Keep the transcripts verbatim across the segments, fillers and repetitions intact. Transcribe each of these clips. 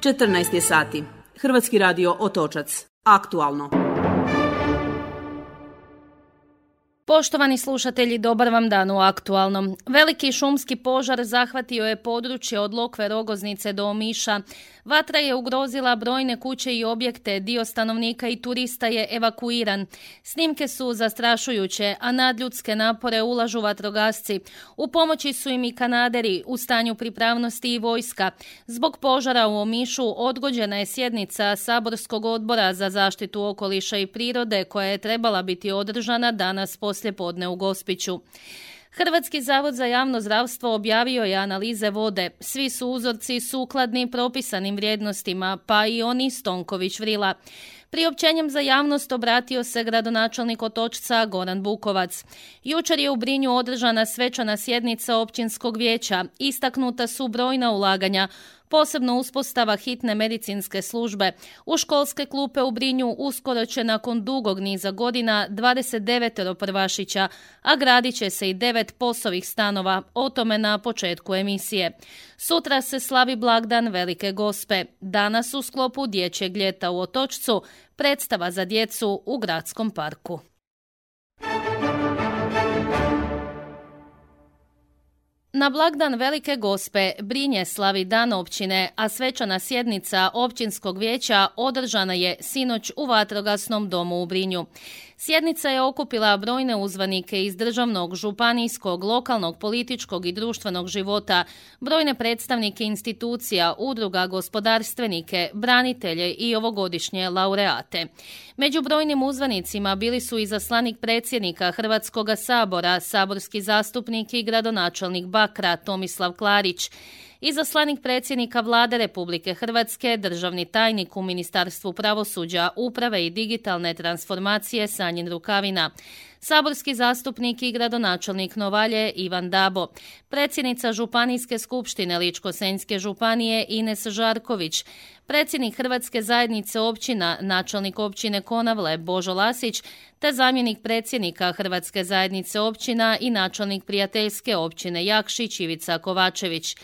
četrnaest je sati. Hrvatski radio Otočac. Aktualno. Poštovani slušatelji, dobar vam dan u Aktualnom. Veliki šumski požar zahvatio je područje od Lokve Rogoznice do Omiša. Vatra je ugrozila brojne kuće i objekte, dio stanovnika i turista je evakuiran. Snimke su zastrašujuće, a nadljudske napore ulažu vatrogasci. U pomoći su im i kanaderi, u stanju pripravnosti i vojska. Zbog požara u Omišu odgođena je sjednica Saborskog odbora za zaštitu okoliša i prirode koja je trebala biti održana danas poslijepodne u Gospiću. Hrvatski zavod za javno zdravstvo objavio je analize vode. Svi su uzorci sukladni propisanim vrijednostima, pa i oni Stonković Vrila. Priopćenjem za javnost obratio se gradonačelnik Otočca Goran Bukovac. Jučer je u Brinju održana svečana sjednica općinskog vijeća. Istaknuta su brojna ulaganja, posebno uspostava hitne medicinske službe. U školske klupe u Brinju uskoro će nakon dugog niza godina dvadeset devet prvašića, a gradit će se i devet posovih stanova, o tome na početku emisije. Sutra se slavi blagdan Velike Gospe. Danas u sklopu dječjeg ljeta u Otočcu predstava za djecu u gradskom parku. Na blagdan Velike Gospe Brinje slavi dan općine, a svečana sjednica općinskog vijeća održana je sinoć u vatrogasnom domu u Brinju. Sjednica je okupila brojne uzvanike iz državnog, županijskog, lokalnog, političkog i društvenog života, brojne predstavnike institucija, udruga, gospodarstvenike, branitelje i ovogodišnje laureate. Među brojnim uzvanicima bili su i zaslanik predsjednika Hrvatskog sabora, saborski zastupnik i gradonačelnik Bakra Tomislav Klarić, izaslanik predsjednika Vlade Republike Hrvatske, državni tajnik u Ministarstvu pravosuđa, uprave i digitalne transformacije Sanjin Rukavina, saborski zastupnik i gradonačelnik Novalje Ivan Dabo, predsjednica Županijske skupštine Ličko-senjske županije Ines Žarković, predsjednik Hrvatske zajednice općina, načelnik općine Konavle Božo Lasić, te zamjenik predsjednika Hrvatske zajednice općina i načelnik prijateljske općine Jakšić Ivica Kovačević.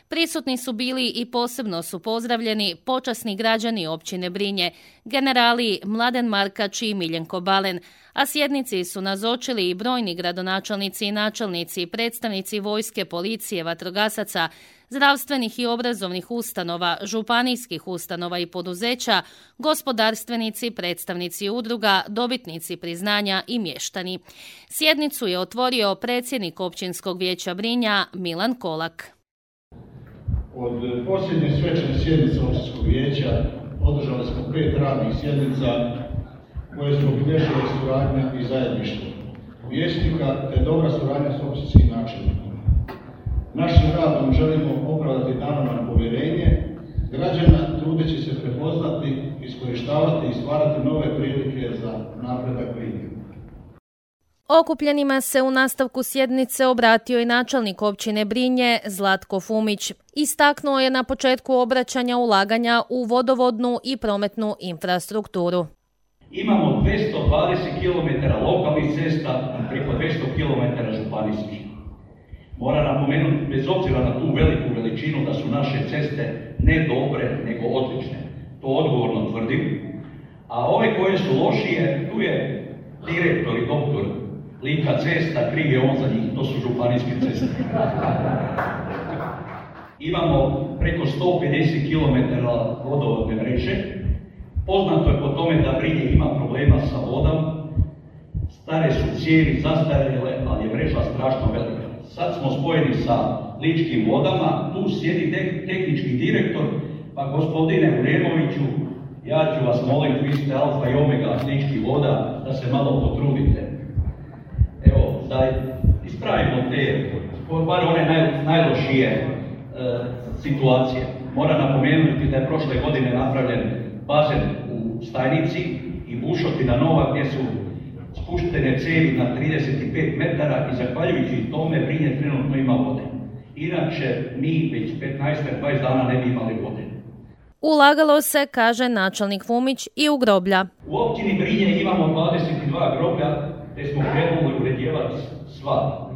Prisutni su bili i posebno su pozdravljeni počasni građani općine Brinje, generali Mladen Markač i Miljenko Balen, a sjednici su nazočili i brojni gradonačelnici i načelnici, predstavnici vojske, policije, vatrogasaca, zdravstvenih i obrazovnih ustanova, županijskih ustanova i poduzeća, gospodarstvenici, predstavnici udruga, dobitnici priznanja i mještani. Sjednicu je otvorio predsjednik općinskog vijeća Brinja Milan Kolak. Od posljednje svečane sjednice općinskog vijeća održali smo pet radnih sjednica koje su obilježile suradnja i zajedništvo vijećnika te dobra suradnja s općinskim načelnikom. Našim radom želimo opravdati dano nam povjerenje građana, trudeći se prepoznati, iskorištavati i stvarati nove prilike za napredak Brinje. Okupljenima se u nastavku sjednice obratio i načelnik općine Brinje Zlatko Fumić. Istaknuo je na početku obraćanja ulaganja u vodovodnu i prometnu infrastrukturu. Imamo dvjesto dvadeset kilometara lokalnih cesta i preko dvjesto kilometara županijskih. Moram napomenuti, bez obzira na tu veliku veličinu, da su naše ceste ne dobre, nego odlične. To odgovorno tvrdim. A ove koje su lošije, tu je direktor i doktor Lika cesta, kriv je on za njih, to su županijske ceste. Imamo preko sto pedeset kilometara vodovodne mreže. Poznato je po tome da Brinje ima problema sa vodom. Stare su cijevi, zastarjele, ali je mreža strašno velika. Sad smo spojeni sa Ličkim vodama, tu sjedi te- tehnički direktor, pa gospodine Uremoviću, ja ću vas moliti, vi ste alfa i omega Ličkih voda, da se malo potrudite. Evo, da ispravimo te, bar one naj, najlošije e, situacije. Moram napomenuti da je prošle godine napravljen bazen u Stajnici i bušotina nova gdje su spuštene cijevi na trideset pet metara i zahvaljujući tome Brinje trenutno ima vode. Inače, mi već petnaest do dvadeset dana ne bi imali vode. Ulagalo se, kaže načelnik Fumić, i u groblja. U općini Brinje imamo dvadeset dva groblja, te smo krenuli uredjevati sva.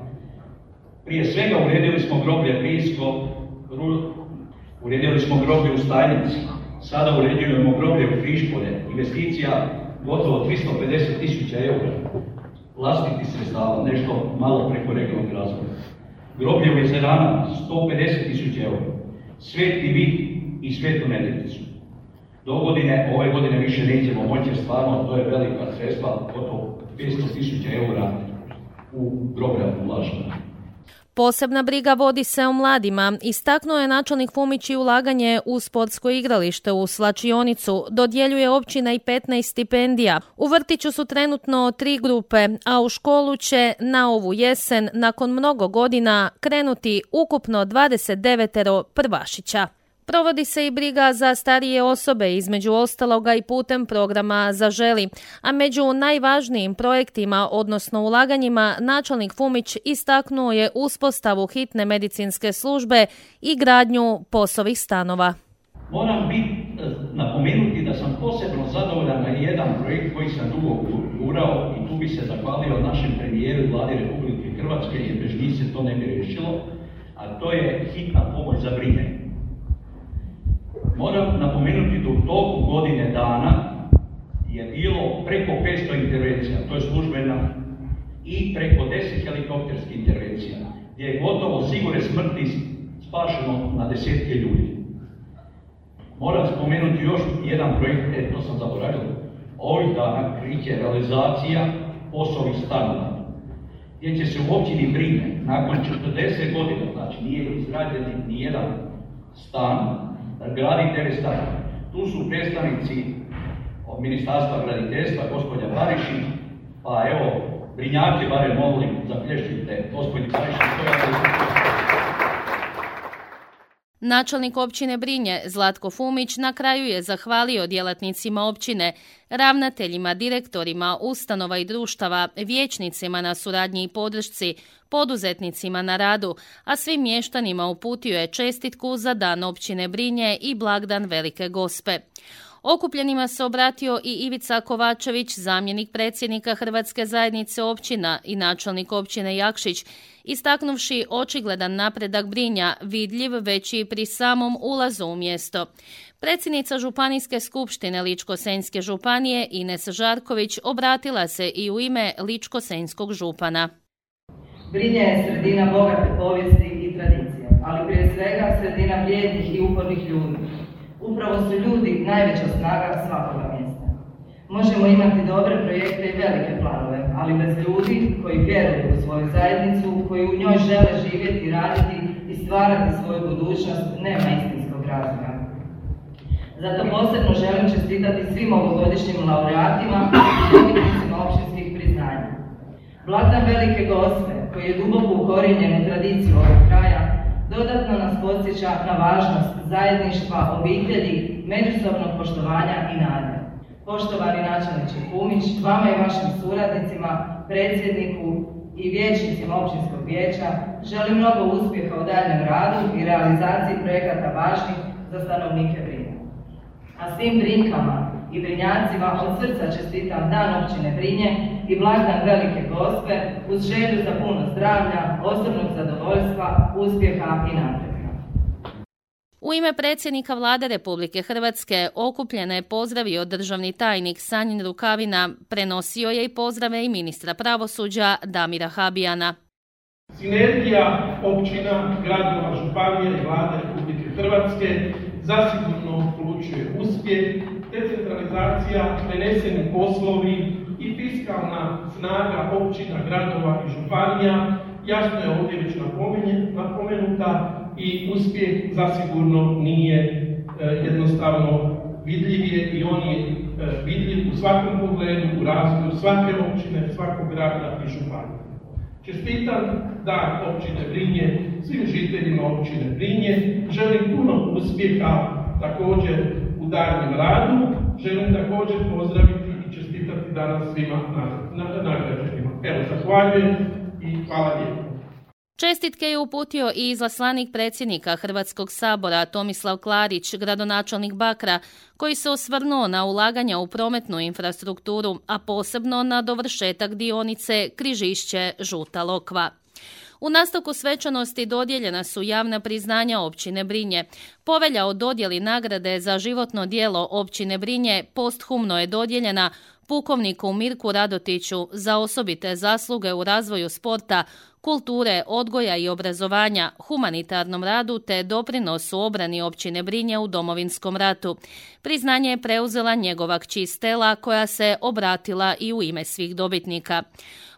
Prije svega uredili smo groblje Brijsko, uredili smo groblje u Stajnici, Sada uređujemo groblje u Križpolje, investicija gotovo tristo pedeset tisuća eura, vlastitih sredstava, nešto malo preko regionalnog razvoja. Groblje u Jezerana, sto pedeset tisuća eura, Sveti Vit i Svetu Nedeljicu. Do godine, ove godine više nećemo moći, jer stvarno to je velika sredstva, gotovo petsto tisuća eura u groblja ulažena. Posebna briga vodi se o mladima. Istaknuo je načelnik Fumić i ulaganje u sportsko igralište u slačionicu. Dodjeljuje općina i petnaest stipendija. U vrtiću su trenutno tri grupe, a u školu će na ovu jesen, nakon mnogo godina, krenuti ukupno dvadeset devet prvašića. Provodi se i briga za starije osobe, između ostaloga i putem programa Zaželi, a među najvažnijim projektima, odnosno ulaganjima, načelnik Fumić istaknuo je uspostavu hitne medicinske službe i gradnju POS-ovih stanova. Moram biti napomenuti da sam posebno zadovoljan na jedan projekt koji sam dugo gurao i tu bi se zahvalio našem premijeru i vladi Republike Hrvatske, jer bez njih se to ne bi riješilo, a to je hitna pomoć za Brinje. Moram napomenuti da u toku godine dana je bilo preko petsto intervencija, to je službena, i preko deset helikopterskih intervencija, gdje je gotovo sigurne smrti spašeno na desetke ljudi. Moram spomenuti još jedan projekt, e, to sam zaboravio, ovih dana kreće realizacija POS-ovih stanova, gdje će se u općini Brinje nakon četrdeset godina, znači nije izgrađen ni jedan stan, gradi devet stanova. Tu su predstavnici od Ministarstva graditeljstva, gospođa Barišić, pa evo, Brinjake barem molim, zaplješćujte, gospođi Barišić, koja je... Načelnik općine Brinje Zlatko Fumić na kraju je zahvalio djelatnicima općine, ravnateljima, direktorima, ustanova i društava, vijećnicima na suradnji i podršci, poduzetnicima na radu, a svim mještanima uputio je čestitku za dan općine Brinje i blagdan Velike Gospe. Okupljenima se obratio i Ivica Kovačević, zamjenik predsjednika Hrvatske zajednice općina i načelnik općine Jakšić, istaknuvši očigledan napredak Brinja, vidljiv već i pri samom ulazu u mjesto. Predsjednica Županijske skupštine Ličko-senjske županije Ines Žarković obratila se i u ime Ličko-senjskog župana. Brinje je sredina bogate povijesti i tradicije, ali prije svega sredina vrijednih i upornih ljudi. Upravo su ljudi najveća snaga svakoga mjesta. Možemo imati dobre projekte i velike planove, ali bez ljudi koji vjeruju u svoju zajednicu, koji u njoj žele živjeti, raditi i stvarati svoju budućnost, nema istinskog razloga. Zato posebno želim čestitati svim ovogodišnjim laureatima i dobitnicima općinskih priznanja. Blagdan Velike Gospe, koji je duboko ukorijenjen u tradiciju ovog kraja, dodatno nas podsjeća na važnost zajedništva, obitelji, međusobnog poštovanja i nade. Poštovani načelniče Fumić, vama i vašim suradnicima, predsjedniku i vijećnicima općinskog vijeća želim mnogo uspjeha u daljnjem radu i realizaciji projekata važnih za stanovnike Brinja. A svim Brinkama i Brinjacima od srca čestitam dan općine Brinje i blagdan Velike Gospe uz želju za puno zdravlja, osobnog zadovoljstva, uspjeha i napretka. U ime predsjednika Vlade Republike Hrvatske okupljene je pozdravio državni tajnik Sanjin Rukavina, prenosio je i pozdrave i ministra pravosuđa Damira Habijana. Sinergija općina, gradova, županije i Vlade Republike Hrvatske zasigurno polučuje uspjeh, decentralizacija, preneseni poslovi i fiskalna snaga općina, gradova i županija jasno je ovdje već napomenuta i uspjeh zasigurno nije e, jednostavno vidljiv je i on je e, vidljiv u svakom pogledu, u razvoju svake općine, svakog grada i županije. Čestitam dan općine Brinje svim žiteljima općine Brinje, želim puno uspjeha također u daljnjem radu, želim također pozdraviti i čestitati danas svima nagrađenima. Evo, zahvaljujem i hvala lijepo. Čestitke je uputio i izaslanik predsjednika Hrvatskog sabora Tomislav Klarić, gradonačelnik Bakra, koji se osvrnuo na ulaganja u prometnu infrastrukturu, a posebno na dovršetak dionice Križišće-Žuta Lokva. U nastavku svečanosti dodijeljena su javna priznanja općine Brinje. Povelja o dodjeli nagrade za životno djelo općine Brinje posthumno je dodijeljena pukovniku Mirku Radotiću za osobite zasluge u razvoju sporta, kulture, odgoja i obrazovanja, humanitarnom radu te doprinosu obrani općine Brinje u Domovinskom ratu. Priznanje je preuzela njegova kći Stela koja se obratila i u ime svih dobitnika.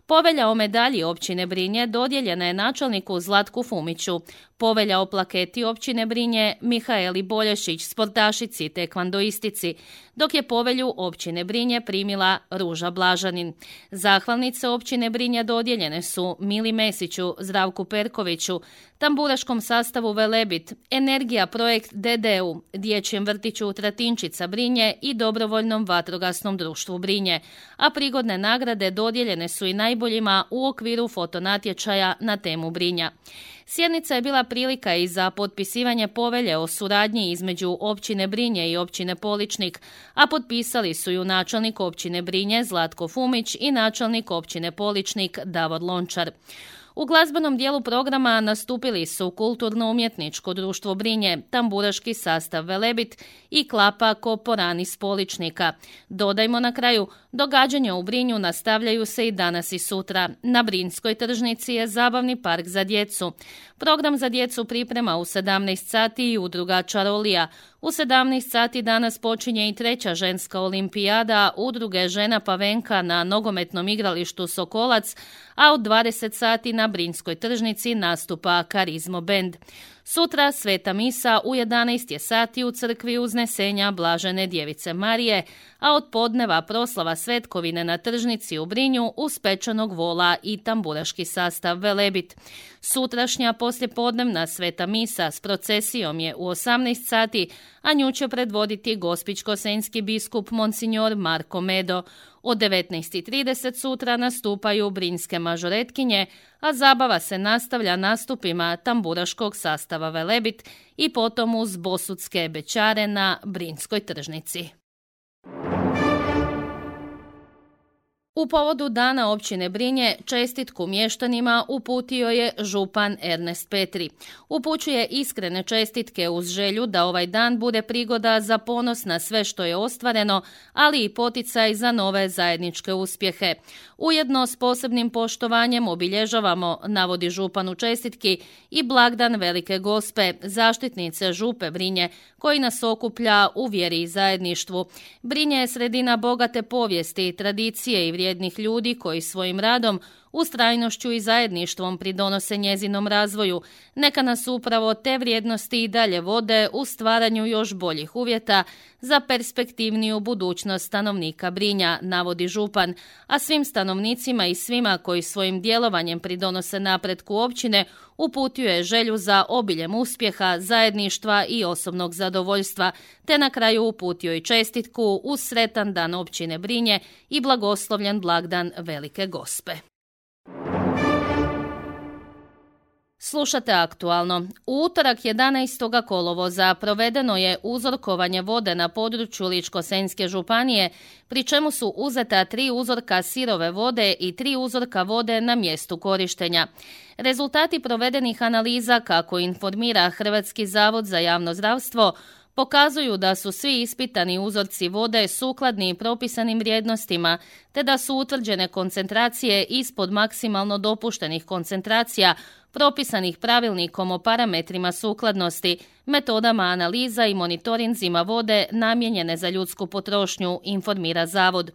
Povelja o medalji općine Brinje dodijeljena je načelniku Zlatku Fumiću. Povelja o plaketi općine Brinje Mihaeli Bolješić, sportašici tekvandoistici, dok je povelju općine Brinje primila Ruža Blažanin. Zahvalnice općine Brinje dodijeljene su Mili Mesiću, Zdravku Perkoviću, tamburaškom sastavu Velebit, Energija projekt D D U, Dječjem vrtiću Tratinčica Brinje i Dobrovoljnom vatrogasnom društvu Brinje, a prigodne nagrade dodijeljene su i najboljima u okviru fotonatječaja na temu Brinja. Sjednica je bila prilika i za potpisivanje povelje o suradnji između općine Brinje i općine Poličnik, a potpisali su ju načelnik općine Brinje Zlatko Fumić i načelnik općine Poličnik Davor Lončar. U glazbenom dijelu programa nastupili su Kulturno-umjetničko društvo Brinje, tamburaški sastav Velebit i Klapa Koporani s Poličnika. Dodajmo na kraju, događanja u Brinju nastavljaju se i danas i sutra. Na Brinjskoj tržnici je zabavni park za djecu. Program za djecu priprema u sedamnaest sati i udruga Čarolija. U sedamnaest sati danas počinje i treća ženska olimpijada udruge Žena Pavenka na nogometnom igralištu Sokolac, a od dvadeset sati na Brinjskoj tržnici nastupa Karizmo bend. Sutra sveta misa u jedanaest je sati u crkvi Uznesenja Blažene Djevice Marije, a od podneva proslava svetkovine na tržnici u Brinju uz pečenog vola i tamburaški sastav Velebit. Sutrašnja poslijepodnevna sveta misa s procesijom je u osamnaest sati, a nju će predvoditi gospićko-senjski biskup Monsignor Marko Medo. Od devetnaest i trideset sutra nastupaju brinjske mažoretkinje, a zabava se nastavlja nastupima tamburaškog sastava Velebit i potom uz bosudske bećare na Brinjskoj tržnici. U povodu dana općine Brinje čestitku mještanima uputio je župan Ernest Petri. Upućuje iskrene čestitke uz želju da ovaj dan bude prigoda za ponos na sve što je ostvareno, ali i poticaj za nove zajedničke uspjehe. Ujedno s posebnim poštovanjem obilježavamo, navodi župan u čestitki, i blagdan Velike Gospe, zaštitnice župe Brinje, koji nas okuplja u vjeri i zajedništvu. Brinje je sredina bogate povijesti, tradicije i vrijednih ljudi koji svojim radom, ustrajnošću i zajedništvom pridonose njezinom razvoju. Neka nas upravo te vrijednosti i dalje vode u stvaranju još boljih uvjeta za perspektivniju budućnost stanovnika Brinja, navodi župan, a svim stanovnicima i svima koji svojim djelovanjem pridonose napretku općine uputio je želju za obiljem uspjeha, zajedništva i osobnog zadovoljstva, te na kraju uputio i čestitku uz sretan dan općine Brinje i blagoslovljen blagdan Velike Gospe. Slušate aktualno. U utorak jedanaestog kolovoza provedeno je uzorkovanje vode na području Ličko-senjske županije, pri čemu su uzeta tri uzorka sirove vode i tri uzorka vode na mjestu korištenja. Rezultati provedenih analiza, kako informira Hrvatski zavod za javno zdravstvo, pokazuju da su svi ispitani uzorci vode sukladni propisanim vrijednostima, te da su utvrđene koncentracije ispod maksimalno dopuštenih koncentracija propisanih pravilnikom o parametrima sukladnosti, metodama analiza i monitorinzima vode namijenjene za ljudsku potrošnju, informira zavod.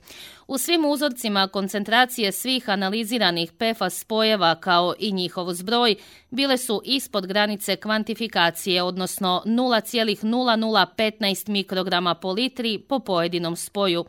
U svim uzorcima koncentracije svih analiziranih P F A S spojeva kao i njihov zbroj bile su ispod granice kvantifikacije, odnosno nula zarez nula nula petnaest mikrograma po litri po pojedinom spoju.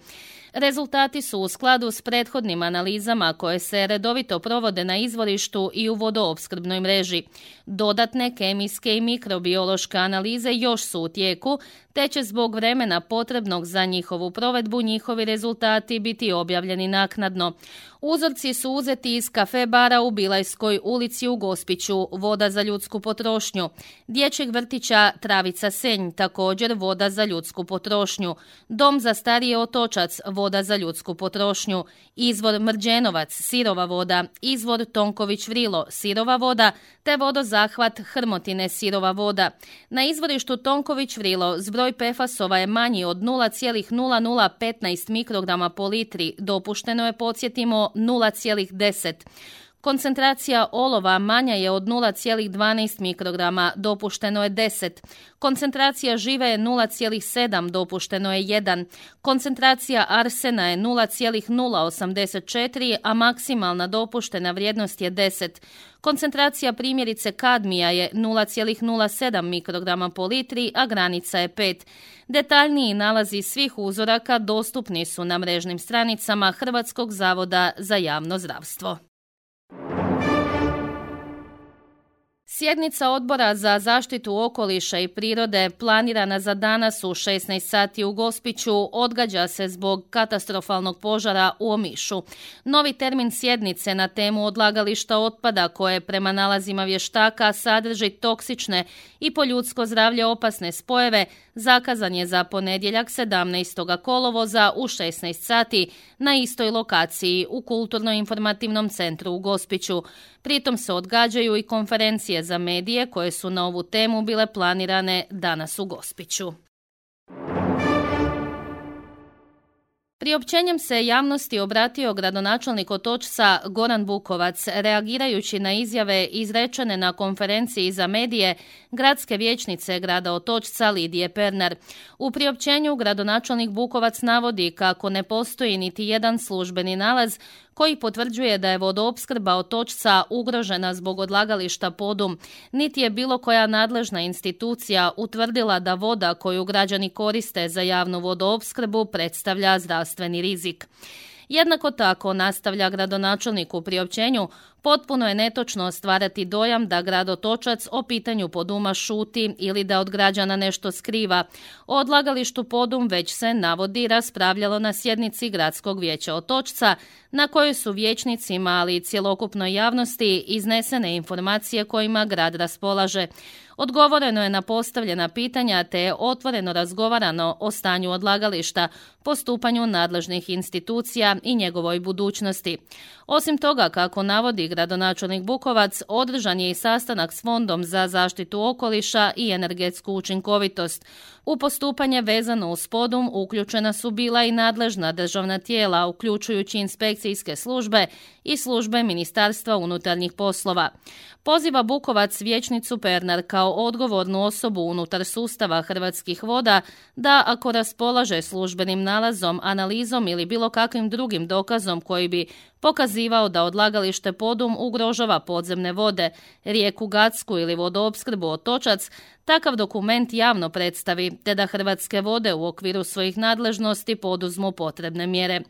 Rezultati su u skladu s prethodnim analizama koje se redovito provode na izvorištu i u vodoopskrbnoj mreži. Dodatne kemijske i mikrobiološke analize još su u tijeku, te će zbog vremena potrebnog za njihovu provedbu njihovi rezultati biti objavljeni naknadno. Uzorci su uzeti iz kafe bara u Bilajskoj ulici u Gospiću, voda za ljudsku potrošnju, dječjeg vrtića Travica Senj, također voda za ljudsku potrošnju, dom za starije Otočac, voda voda za ljudsku potrošnju, izvor Mrđenovac, sirova voda, izvor Tonković Vrilo, sirova voda, te vodozahvat Hrmotine, sirova voda. Na izvorištu Tonković Vrilo zbroj P F A S-ova je manji od nula zarez nula nula petnaest mikrograma po litri, dopušteno je, podsjetimo, nula zarez deset. Koncentracija olova manja je od nula zarez dvanaest mikrograma, dopušteno je deset. Koncentracija žive je nula zarez sedam, dopušteno je jedan. Koncentracija arsena je nula zarez nula osamdeset četiri, a maksimalna dopuštena vrijednost je deset. Koncentracija primjerice kadmija je nula zarez nula sedam mikrograma po litri, a granica je pet. Detaljniji nalazi svih uzoraka dostupni su na mrežnim stranicama Hrvatskog zavoda za javno zdravstvo. Sjednica Odbora za zaštitu okoliša i prirode planirana za danas u šesnaest sati u Gospiću odgađa se zbog katastrofalnog požara u Omišu. Novi termin sjednice na temu odlagališta otpada koje prema nalazima vještaka sadrži toksične i po ljudsko zdravlje opasne spojeve zakazan je za ponedjeljak sedamnaestog kolovoza u šesnaest sati na istoj lokaciji u Kulturno-informativnom centru u Gospiću. Pritom se odgađaju i konferencije za medije koje su na ovu temu bile planirane danas u Gospiću. Priopćenjem se javnosti obratio gradonačelnik Otočca Goran Bukovac, reagirajući na izjave izrečene na konferenciji za medije gradske vijećnice grada Otočca Lidije Pernar. U priopćenju gradonačelnik Bukovac navodi kako ne postoji niti jedan službeni nalaz koji potvrđuje da je vodoopskrba Otočca ugrožena zbog odlagališta Podum, niti je bilo koja nadležna institucija utvrdila da voda koju građani koriste za javnu vodoopskrbu predstavlja zdravstveni rizik. Jednako tako, nastavlja gradonačelnik u priopćenju, potpuno je netočno stvarati dojam da grad Otočac o pitanju Poduma šuti ili da od građana nešto skriva. O odlagalištu Podum već se, navodi, raspravljalo na sjednici Gradskog vijeća Otočca, na kojoj su vijećnicima, ali i cjelokupnoj javnosti iznesene informacije kojima grad raspolaže. Odgovoreno je na postavljena pitanja te je otvoreno razgovarano o stanju odlagališta, postupanju nadležnih institucija i njegovoj budućnosti. Osim toga, kako navodi gradonačelnik Bukovac, održan je i sastanak s Fondom za zaštitu okoliša i energetsku učinkovitost. U postupanje vezano uz Podum uključena su bila i nadležna državna tijela, uključujući inspekcijske službe i službe Ministarstva unutarnjih poslova. Poziva Bukovac vijećnicu Pernar kao odgovornu osobu unutar sustava Hrvatskih voda da, ako raspolaže službenim nalazom, analizom ili bilo kakvim drugim dokazom koji bi pokazivao da odlagalište Podum ugrožava podzemne vode, rijeku Gacku ili vodoopskrbu Otočac, takav dokument javno predstavi, te da Hrvatske vode u okviru svojih nadležnosti poduzmu potrebne mjere.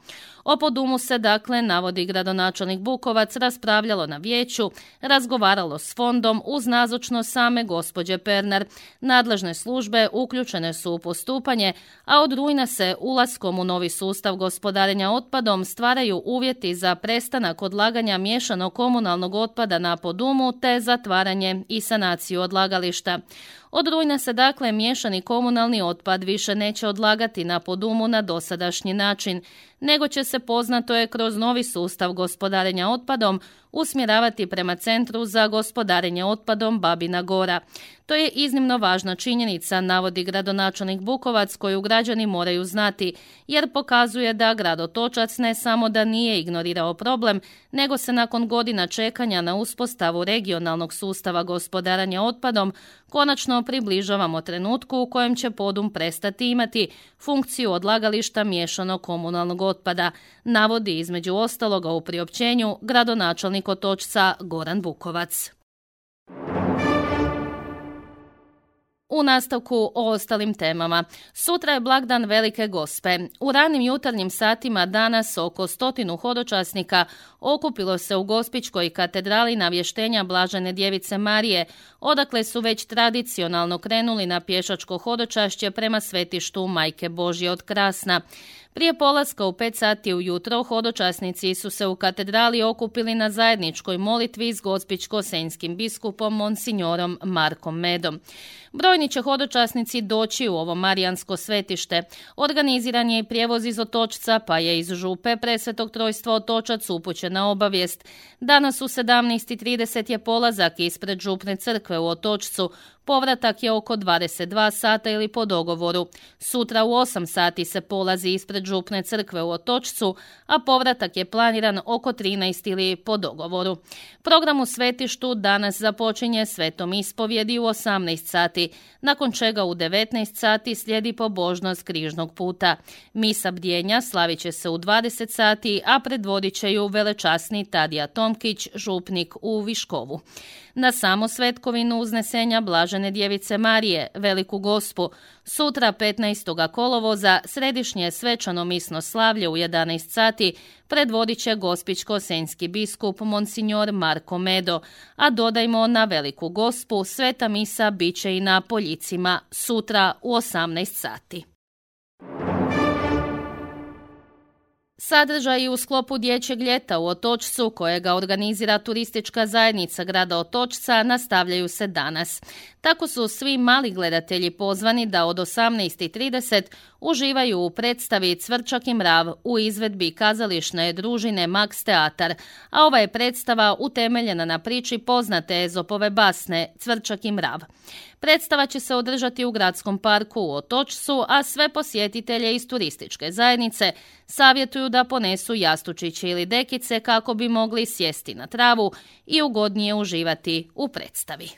O Podumu se, dakle, navodi gradonačelnik Bukovac, raspravljalo na vijeću, razgovaralo s fondom uz nazočnost same gospođe Pernar. Nadležne službe uključene su u postupanje, a od rujna se ulaskom u novi sustav gospodarenja otpadom stvaraju uvjeti za prestanak odlaganja miješanog komunalnog otpada na Podumu te zatvaranje i sanaciju odlagališta. Od rujna se, dakle, miješani komunalni otpad više neće odlagati na Podumu na dosadašnji način, nego će se, poznato je, kroz novi sustav gospodarenja otpadom usmjeravati prema Centru za gospodarenje otpadom Babina Gora. To je iznimno važna činjenica, navodi gradonačelnik Bukovac, koju građani moraju znati, jer pokazuje da grad Otočac ne samo da nije ignorirao problem, nego se nakon godina čekanja na uspostavu regionalnog sustava gospodarenja otpadom konačno približavamo trenutku u kojem će Podum prestati imati funkciju odlagališta miješanog komunalnog otpada, navodi između ostaloga u priopćenju gradonačelnik Otočca Goran Bukovac. U nastavku o ostalim temama. Sutra je blagdan Velike Gospe. U ranim jutarnjim satima danas oko stotinu hodočasnika okupilo se u Gospićkoj katedrali navještenja Blažene djevice Marije, odakle su već tradicionalno krenuli na pješačko hodočašće prema svetištu Majke Božje od Krasna. Prije polaska u pet sati ujutro hodočasnici su se u katedrali okupili na zajedničkoj molitvi s gospićko-senjskim biskupom monsignorom Markom Medom. Brojni će hodočasnici doći u ovo marijansko svetište. Organiziran je i prijevoz iz Otočca, pa je iz Župe Presvetog Trojstva Otočac upućena obavijest. Danas u sedamnaest i trideset je polazak ispred Župne crkve u Otočcu. Povratak je oko dvadeset dva sata ili po dogovoru. Sutra u osam sati se polazi ispred Župne crkve u Otočcu, a povratak je planiran oko trinaest ili po dogovoru. Program u svetištu danas započinje svetom ispovjedi u osamnaest sati, nakon čega u devetnaest sati slijedi pobožnost križnog puta. Misa bdjenja slavit će se u dvadeset sati, a predvodit će ju velečasni Tadija Tomkić, župnik u Viškovu. Na samo svetkovinu uznesenja Blažene djevice Marije, Veliku Gospu, sutra petnaestog kolovoza središnje svečano misno slavlje u jedanaest sati predvodit će gospićko-senjski biskup monsinjor Marko Medo, a dodajmo na Veliku Gospu sveta misa bit će i na Poljicima sutra u osamnaest sati. Sadržaji u sklopu Dječjeg ljeta u Otočcu, kojega organizira turistička zajednica grada Otočca, nastavljaju se danas. Tako su svi mali gledatelji pozvani da od osamnaest i trideset uživaju u predstavi Cvrčak i mrav u izvedbi kazališne družine Max Teatar, a ova je predstava utemeljena na priči poznate Ezopove basne Cvrčak i mrav. Predstava će se održati u gradskom parku u Otočcu, a sve posjetitelje iz turističke zajednice savjetuju da ponesu jastučiće ili dekice kako bi mogli sjesti na travu i ugodnije uživati u predstavi.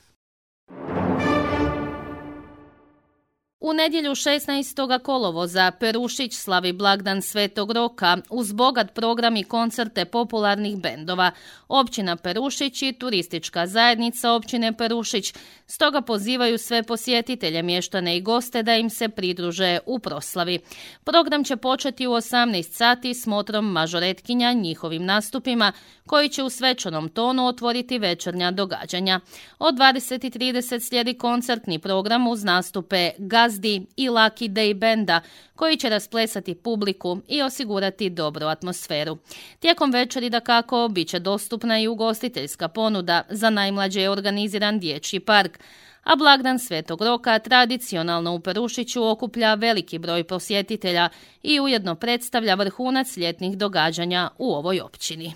U nedjelju šesnaestog kolovoza Perušić slavi blagdan Svetog Roka uz bogat program i koncerte popularnih bendova. Općina Perušić i turistička zajednica općine Perušić stoga pozivaju sve posjetitelje, mještane i goste da im se pridruže u proslavi. Program će početi u osamnaest sati s motrom mažoretkinja, njihovim nastupima, koji će u svečanom tonu otvoriti večernja događanja. Od dvadeset i trideset slijedi koncertni program uz nastupe Gazdi i Lucky Day benda, koji će rasplesati publiku i osigurati dobru atmosferu. Tijekom večeri dakako bit će dostupna i ugostiteljska ponuda, za najmlađe je organiziran dječji park, a blagdan Svetog Roka tradicionalno u Perušiću okuplja veliki broj posjetitelja i ujedno predstavlja vrhunac ljetnih događanja u ovoj općini.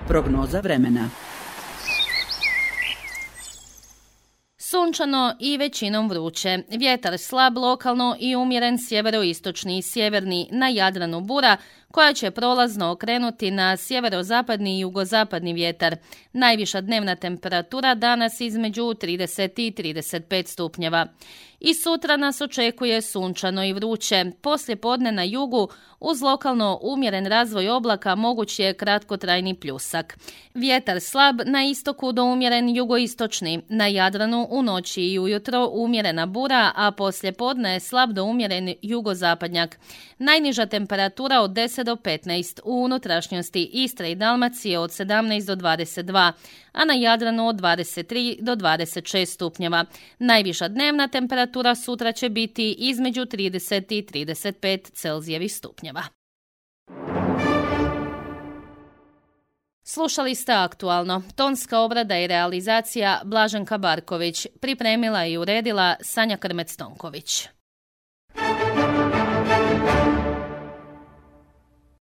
Prognoza vremena. Sunčano i većinom vruće. Vjetar slab lokalno i umjeren sjeveroistočni i sjeverni, na Jadranu bura, koja će prolazno okrenuti na sjeverozapadni i jugozapadni vjetar. Najviša dnevna temperatura danas između trideset i trideset pet stupnjeva. I sutra nas očekuje sunčano i vruće. Poslije podne na jugu, uz lokalno umjeren razvoj oblaka, moguć je kratkotrajni pljusak. Vjetar slab, na istoku do umjeren jugoistočni, na Jadranu u noći i ujutro umjerena bura, a poslije podne je slab do umjeren jugozapadnjak. Najniža temperatura od deset do petnaest, u unutrašnjosti Istre i Dalmacije od sedamnaest do dvadeset dva, a na Jadranu od dvadeset tri do dvadeset šest stupnjeva. Najviša dnevna temperatura sutra će biti između trideset i trideset pet Celzijevih stupnjeva. Slušali ste Aktualno. Tonska obrada i realizacija Blaženka Barković. Pripremila i uredila Sanja Krmec-Tonković.